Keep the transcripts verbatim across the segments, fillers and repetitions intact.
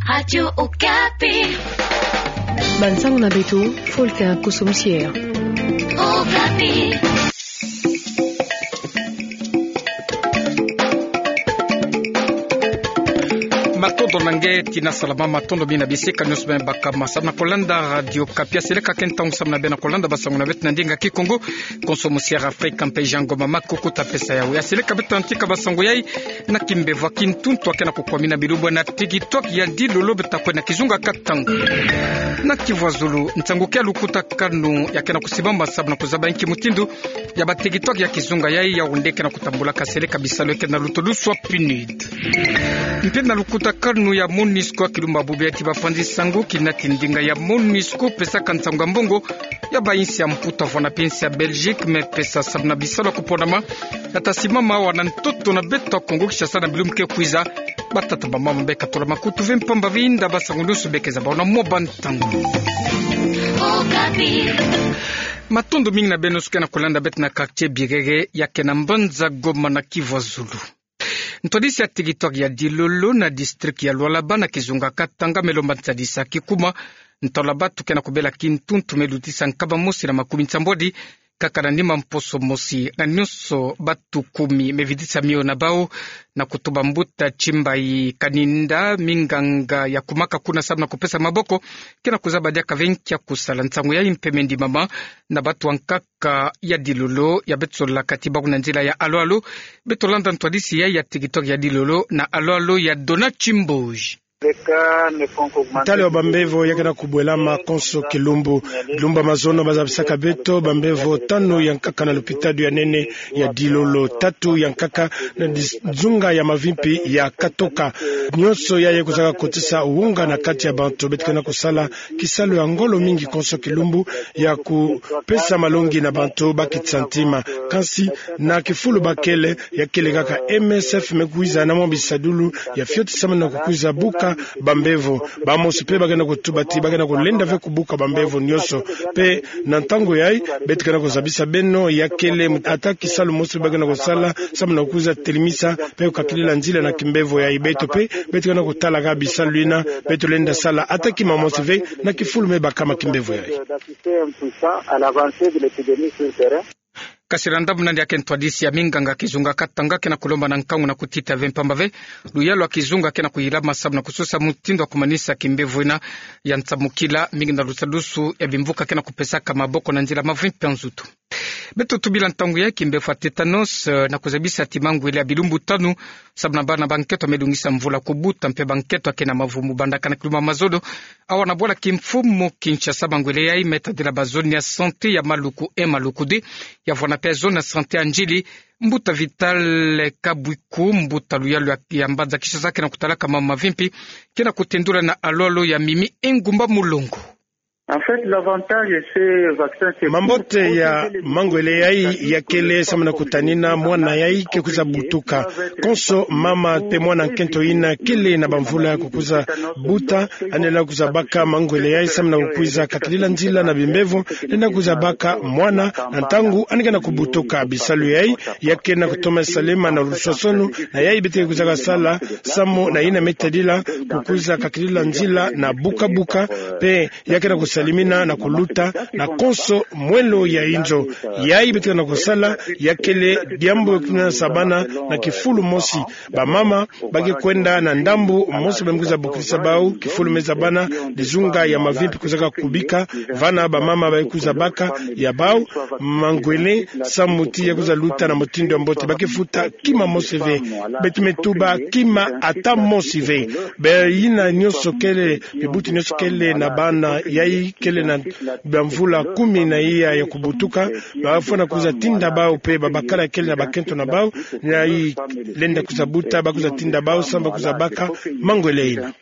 Radio Okapi. Bansango na beto, Folka Kusumsier. Okapi. Matondo na nge tina salama, matondo mingi na bisika nyonso beno baka ma samu na kolanda Radio Okapi. Seleka ke ntangu samu na beno na kolanda basango na beto na ndinga Kikongo. Konso mosiara Afrika mpe Jean Ngoma Makuku ta pesa yawu. Ya seleka beto ta ntika basango yai na kimbevo ya kintuntu ya ke na kukwamina bilumbu na tigitwaki ya dilolo beto ta kwenda kizunga Katanga. Na Kivu ya Zulu, nsangu ke ya lukutakanu ya ke na kusimama samu na kuzaba nki mutindu ya batigitwaki ya kizunga yai, yawu nde ke na kutambula ka seleka bisalu ya ke na luto dusu ya PNUD. Mpe na lukutakanu ya MONUSCO, kilumbu bubu ya ti bapanzi nsangu kina ti ndinga ya MONUSCO pesaka nsangu ya mbongo ya bainsi ya Mputu, Havana mpe insi ya Belgique me pesa samu na bisalu ya kuponama ya ta simama awa na ntoto na beto ya Kongo Kinshasa na bilumbu ke kwiza. Batata, bamama, bekatula makutu ve mpamba ve inda basango nyonso be ke zaba na mwa bantangu. Matondo mingi na beno nyonso ke na kolanda beto na quartier Birere ya ke na mbanza Goma na Kivu ya Zulu. Ntwadisi ya tigitwaki ya dilolo na district ya Lualaba na kizunga Katanga me lomba nsadisi ya kikuma. Ntalu ya batu ke na kubela kintuntu me lutisa nkaba mosi na makumi nsambwadi kaka na nima mposo mosi, na nyonso batu kumi me vidisa mio na bau. Na kutuba mbuta Tshimbayi Kaninda, minganga ya kumaka kuna samu na kupesa maboko ke na kuzaba diaka ve nki ya kusala. Nsangu yai mpe me ndimama na batu ya nkaka ya dilolo ya beto solaka ti bau na nzila ya alo-alo. Beto landa ntwadisi yai ya tigitwaki ya dilolo na alo-alo ya Dona Tshimboji. Ntalo ya bambevo ya ke na kubwelama konso kilumbu. Bilumbu ya mazono bazabisaka beto bambevo tanu ya nkaka na lopitadi ya nene ya dilolo, tatu ya nkaka na dis-, nzunga ya mavimpi ya Katoka. Nyonso yai kwizaka kotisa wonga na kati ya bantu. Beto ke na kusala kisalu ya ngolo mingi konso kilumbu ya kupesa malongi na bantu ba kiti santima. Kansi na kifulu ba kele, ya kele kaka M S F me kwiza na mwa bisadulu ya fioti samu na kukwiza buka bambevo. Bamosi mpe ba ke na kutuba ti ba ke na kulenda ve kubuka bambevo nyonso. Mpe na ntangu yai, beto ke na kuzabisa beno, ya kele ata kisalu mosi ba ke na kusala samu na kukwiza telimisa mpe kukakilila nzila na kimbevo yai. Beto mpe, beto ke na kutalaka bisalu yina beto lenda sala ata kima mosi ve na kifulu me bakama kimbevo yai. Kasi na ndambu nani ya ke ntwadisi ya minganga kizunga Katanga ke na kulomba na nkangu na kutita ve mpamba ve luyalu ya kizunga ke na kuyilama samu na kusosa mutindu ya kumanisa kimbevo yina ya nsamukila, mingi na lusadusu ya bimvuka ke na kupesaka maboko na nzila mavimpi ya nzutu. Beto tubila ntangu ya kimbevo ya tétanos, eh, na kuzabisa ti mangwele ya bilumbu tanu samu na bana ba nkento me dungisa mvula kubuta mpe ba nkento ya ke na mavumu bandaka na kilumbu ya mazono. Awa na bwala kimfumu Kinshasa, mangwele yai me tadila ba zone ya santé ya Maluku un, Maluku deux, ya vwana mpe zone ya santé ya Ndjili. Mbuta Vital Kabwiku, mbuta luyalu ya, ya mbanza Kinshasa ke na kutalaka mama mavimpi, ke na kutendula na alo-alo ya Mimi Engumba Mulongo. En fait, l'avantage de ce vaccin, c'est mambote ya mangwele yai ya kele samu na kutanina mwana yai ke kwiza butuka. Konso mama mpe mwana nkento yina kele na bamvula ya kukwiza buta, ane lenda kwiza baka mangwele yai samu na kukwiza kakilila nzila na bimbevo, lenda kwiza baka mwana na ntangu ane ke na kubutuka. Bisalu yai ya ke na kutoma salema na lusosono na yai beto ke kwizaka sala samu na yina me tadila kukwiza kakilila nzila na buka-buka, mpe ya ke na kusalimina na kuluta na konso mwelo ya inzo. Yai beto ke na kusala ya kele diambu ya kutunasa bana na kifulu mosi. Bamama ba ke kwenda na ndambu mosi ba me kwiza bokilisa bau, kifulu me za bana, dizunga ya mavimpi kwizaka kubika, vana bamama ba ke kwiza baka ya bau mangwele samu ti ya kwiza luta na mutindu ya mbote. Ba ke futa kima mosi ve. Beto me tuba kima ata mosi ve. Be yina nyonso kele, bibuti nyonso kele na bana yai kele na bamvula kumi na iya ya kubutuka, ba fwana kwiza tinda bau mpe babakala kele na bakento na bau, na yai lenda kwiza buta, ba kwiza tinda bau samu ba kwiza baka mangwele yina.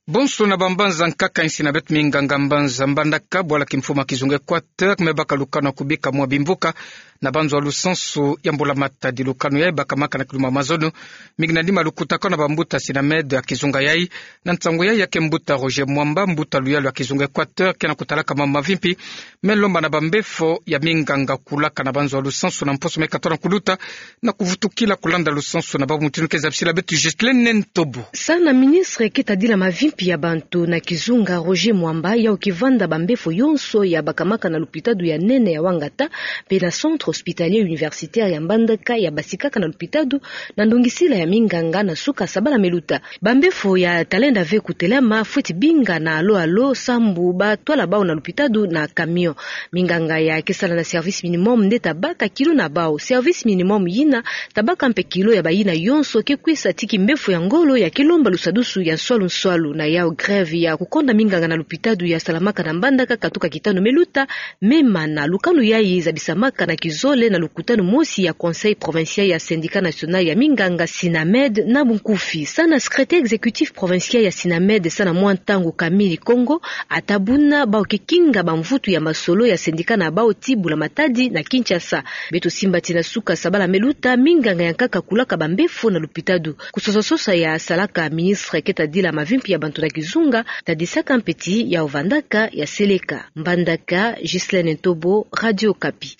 Bonso na bambanza nkaka insi na beto minganga mbanza mbandaka, bwala kimfumu ya kizunga Équateur, me baka lukanu ya kubika mwa bimvuka na banzo ya lusansu ya mbula Matadi. Lukanu yayi bakamaka na kiluma mazono, mingi na nima lukutakanu na bambuta Sinamed ya kizunga yayi. Na nsangu yayi, ya ke mbuta Roger Mwamba, mbuta luyalu ya kizunga Équateur, ke na kutalaka mambu mavimpi, me lomba na bambefo ya minganga kulaka na banzo ya lusansu na mposo me katola kuluta, na kuvutukila kulanda lusansu na babu mutindu ke zabisila beto Ghislaine Ntobo. Salu na ministre ke tadila mavimpi ya bantu na kizunga Roger Mwamba, yau ke vanda bambefo yonso ya bakamaka na lupitadu ya nene ya Wangata, pe na Centre Hospitalier Universitaire ya Mbandaka ya basikaka na lupitadu, na ndongisila ya minganga na suka sabala meluta. Bambefo ya talenda ve kutelama fweti binga na alo alo sambu batwala bau na lupitadu na camion. Minganga ya ke sala na service minimum nde tabaka kilo na bau. Service minimum yina tabaka mpe kilo ya bayina yonso ke kwisa ti kimbefo ya ngolo ya ke lomba lusadusu ya nswalu nswalu. Na yau grève ya kukonda minganga na lupitadu ya salamaka na Mbandaka katuka kitanu meluta, me mana lukanu yayi zabisamaka na kizole na lukutanu mosi ya Conseil Provincial ya Syndicat National ya minganga Sinamed na bunkufi. Salu na secrétaire exécutif provincial ya Sinamed, salu na mwa ntangu Camille Kongo, ata buna bau ke kinga bamvutu ya masolo ya syndicat na bau ti mbula Matadi na Kinshasa. Beto simba ti na suka sabala meluta, minganga ya nkaka kulaka bambefo na lupitadu. Kusosa sosa ya salaka ministre ke tadila mavimpi ya bantu na kizunga, tadisaka mpe ti yau vandaka ya seleka. Mbandaka, Ghislaine Ntobo, Radio Okapi.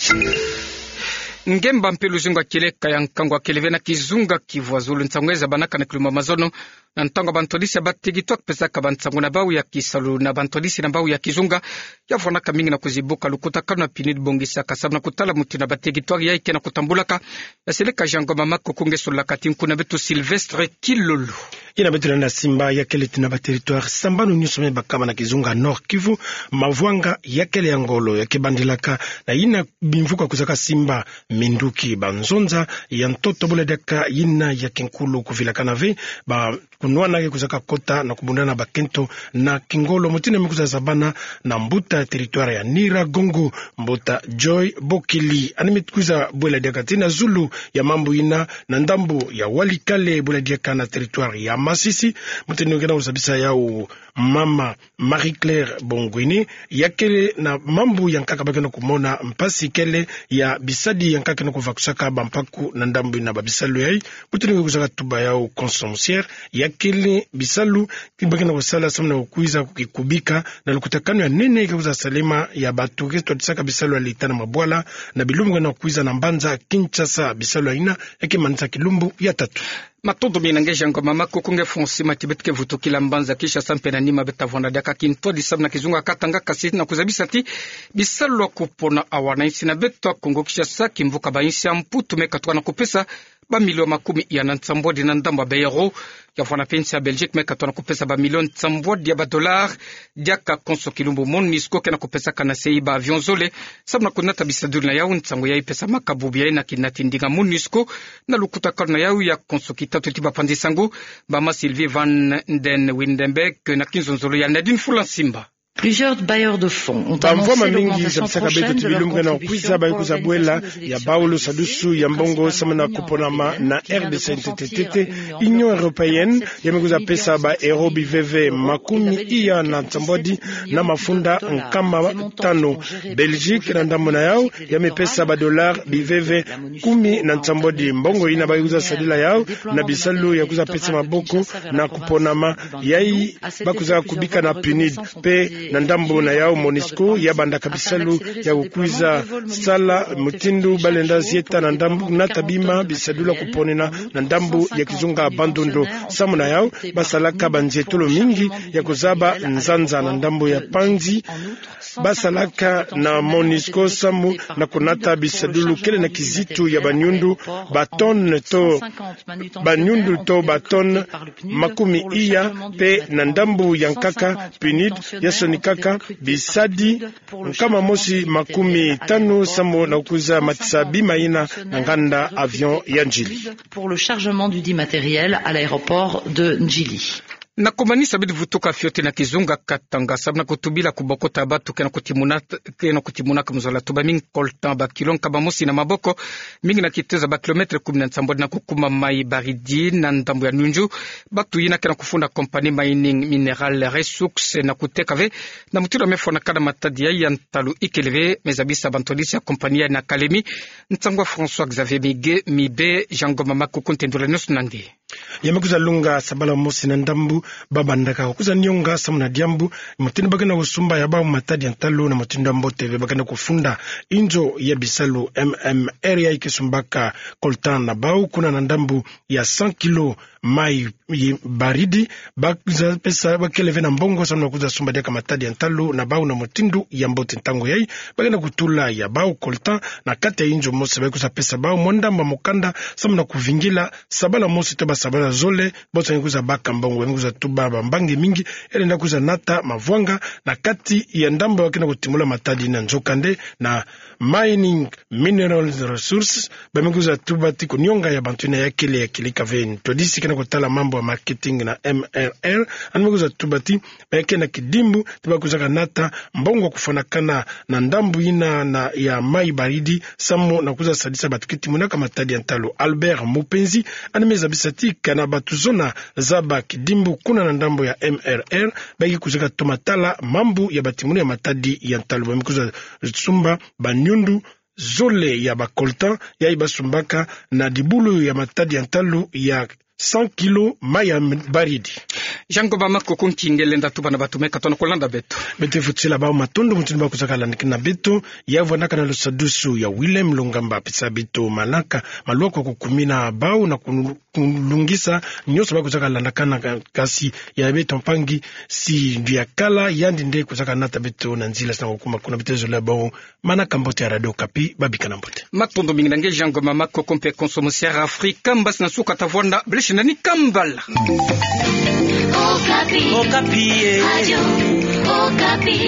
Ngemba mpe luzingu ya kieleka ya nkangu ya keleve na kizunga Kivu ya zulu. Nsangu yayi zabanaka na kiluma mazono na ntangu ya bantwadisi ya batekitwari pesaka bansangu na bau ya kisalu na bantwadisi na bau ya kizunga. Ya vwanaka mingi na kuzibuka lukutakanu ya PNUD bongisaka samu na kutala mutindu ya batekitwari yayi ke na kutambulaka. Ya seleka Jean Ngoma Makoko nge solaka ti nku na beto Sylvestre Kilolo. Yina beto lenda simba ya kele ti na baterritware sambanu nyonso me bakama na kizunga Nord-Kivu, mavwanga ya kele ya ngolo ya ke bandilaka na yina bimvuka kwizaka simba minduki. Banzonza ya ntoto bula diaka yina ya kinkulu kuvilakana ve ba kunwana ke kwizaka kota na kubundana bakento na kingolo. Mutindu me kwiza zabana na mbuta ya territware ya Nyiragongo, mbuta Joy Bokili. Yandi me kwiza bula diaka ti na zulu ya mambu yina na ndambu ya Walikale bula diaka na territware ya Masisi. Mutindu nge na kuzabisa yau mama Marie-Claire Bongwini, ya kele na mambu ya nkaka ba ke na kumona mpasi kele ya bisadi ya nkaka ke na kuvakusaka bampaku na ndambu yina ba bisalu yayi. Mutindu nge kwizaka tuba yau consommation ya kele bisalu ti ba ke na kusala samu na kukwiza kukikubika na lukutakanu ya nene ke kwiza salema ya bantu ke twadisaka bisalu ya leta na mabwala na bilumbu ke na kukwiza na mbanza Kinshasa. Bisalu yina ya ke manisa kilumbu ya tatu. Matondo mingi na nge Jean Ngoma Makoko. Nge Francis Matibet ke vutukila mbanza Kinshasa mpe na nima beta vwanda diaka kintwadi samu na kizunga Katanga, kasi na kuzabisa ti bisalu ya kupona awa na insi na beto ya Kongo Kinshasa, kimvuka ba insi ya Mputu me katuka na kupesa ba million makumi iya na nsambwadi na ndambu ya ba euro. Ya vwanda mpe insi ya Belgique me katuka na kupesa ba million nsambwadi ya ba dollar. Diaka konso kilumbu MONUSCO ke na kupesaka na sei ba avion zole samu na kunata bisadulu na yau. Nsangu yayi pesamaka bubu yayi na kinati ndinga MONUSCO na lukutakanu na yau ya konso kitatu ti bapanzi nsangu, mama Sylvie van den Windenberg, na kinzonzolo ya Nadine Fula Nsimba. Plusieurs bailleurs de fonds ont annoncé l'augmentation prochaine de leur contribution pour les organisations de sécurité sociale et de développement. Bamvwama mingi zabisaka beto ti bilumbu ke na kwiza ba ke kwiza bwela ya bau lusadusu ya mbongo samu na kuponama na R D C ntetete. Union européenne ya me kwiza pesa ba euro biveve makumi iya na nsambwadi na mafunda nkama tanu. Belgique na ndambu na yau ya me pesa ba dollar biveve kumi na nsambwadi. Mbongo yina ba kwiza sadila yau na bisalu ya kwiza pesa maboko na kuponama yayi ba kwiza kubika na PNUD. Mpe na ndambu na yau MONUSCO ya bandaka bisalu ya kukwiza sala mutindu ba lenda zieta na ndambu nata bima bisadulu ya kuponena na ndambu ya kizunga Bandundu. Samu na yau ba salaka banzietolo mingi ya kuzaba nzanza na ndambu ya panzi. Ba salaka na MONUSCO samu na kunata bisadulu kele na kizitu ya banyundu, ba tonne to, banyundu to ba tonne makumi iya, mpe na ndambu ya nkaka PNUD ya sonikaka bisadi nkama mosi makumi tanu samu na kwiza matisa bima yina na nganda avion ya Ndjili. Pour le chargement dudit matériel à l'aéroport de Ndjili. Na kumanisa bidi vutuka fioti na kizunga Katanga, sababu na kutubila kubokota batu ke na kutimuna, ke na kutimunaka muzolatu ba mingi coltan, ba kilo nkaba mosi na maboko, mingi na kitezo ba kilometre kumi na nsambwadi na kukuma mai baridi na ndambu ya Nyunju. Batu yina ke na kufunda compagnie Mining Mineral Resources na kuteka ve na mutindu ya mefwanakana matadi yayi ya ntalu ikele ve. Mezabisa bantwadisi ya compagnie yayi na Kalemi, nsangu ya François Xavier Migue, Mibe, Jean Ngoma Makoko, ntendula nyonso na nge. Ya mekwiza lunga sabala mosi na ndambu, ba bandaka kwiza nionga samu na diambu mutindu ba ke na kusumba ya bau matadi ya ntalu na mutindu ya mbote ve. Ba ke na kufunda inzo ya bisalu M M R yayi ke sumbaka coltan na bau, kuna na ndambu ya cent kilos mai baridi. Ba kwiza pesa, ba kele ve na mbongo samu na kwiza sumba diaka matadi ya ntalu na bau na mutindu ya mbote. Ntangu yayi ba ke na kutula ya bau coltan na kati ya inzo mosi, ba kwiza pesa bau mwa ndambu ya mukanda samu na kuvingila sabala mosi to ba sabala zole, bonso nge kwiza baka mbongo. Ba me kwiza tuba bambangi mingi, elenda kwiza nata mavwanga na kati ya ndambu ba ke na kutimula matadi yina. Nzokande na Mining Mineral Resources, ba me kwiza tuba ti kunionga ya bantu yina ya kele, ya kilika ve. Ntwadisi ke na kutala mambu ya marketing na M R R, andi me kwiza tuba ti ba ke na kidimbu ti ba kwizaka nata mbongo kufwanakana na ndambu yina na ya mai baridi samu na kwiza sadisa batu ke timunaka matadi ya ntalu. Albert Mupenzi, andi mezabisa ti kana batu zona zaba kidimbu kuna na ndambu ya M R R, ba ke kwizaka toma tala mambu ya batimunu ya matadi ya ntalu. Ba me kwiza sumba banyundu zole ya ba coltan yayi ba sumbaka na dibulu ya matadi ya ntalu ya cent kilos mai ya baridi. Jean Ngoma Makoko, nki nge lenda tuba na batu me katono kulanda beto? Beto fwetila bau matondo mutindu ba kwizaka landakana beto. Ya vwandaka na lusadusu ya Willem Lungamba, pesa beto manaka maluaku ya kukumina bau na kulu-, kulungisa nyonso ba kwizaka landakana ka-, kasi ya beto mpangi Sylvia Kala, yandi nde kwizaka nata beto na nzila sa na kukuma kuna. Beto zola bau manaka mbote ya Radio Okapi, ba bikana mbote. Matondo mingi na nge Jean Ngoma Makoko, mpe konso mosi ya Afrika Mbasi na nsuka ta vwanda, bele shinda ni kambala. Okapi. Okapi, eh. Radio Okapi.